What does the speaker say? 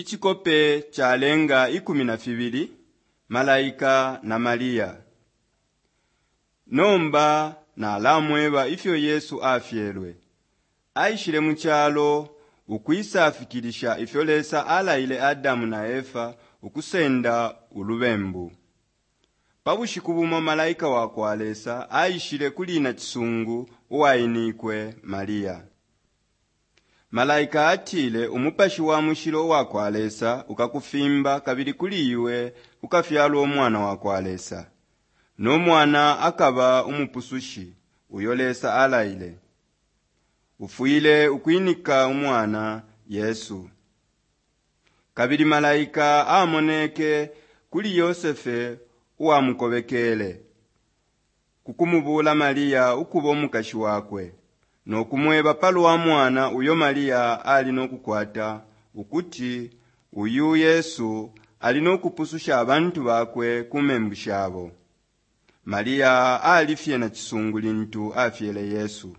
Icikope calenga 12 Malaika na Maria. Nomba nalamweba ifyo Yesu afyelwe. Aishile mu calo ukwisafikilisha ifyo Lesa alaile Adamu na Efa ukusenda ulubembu. Pa bushiku bumo malaika wa kwa Lesa aishile kuli nacisungu uwainikwe Maria. Malaika atile umupashi wa mushilo uwa kwa Lesa ukakufimba kabili kuli iwe kukafyalwa umwana wa kwa Lesa. No mwana akaba umupusushi uyo Lesa alaile. Ufwile ukwinika umwana Yesu. Kabili malaika amoneke kuli Yosefe uwamukobekele ku kumubuula Maria ukuba umukashi wakwe no kumweba pa lwa mwana uyo Maria ali no kukwata ukuti uyu Yesu ali no kupususha abantu bakwe ku membu shabo. Maria ali fye nacisungu lintu afyele Yesu.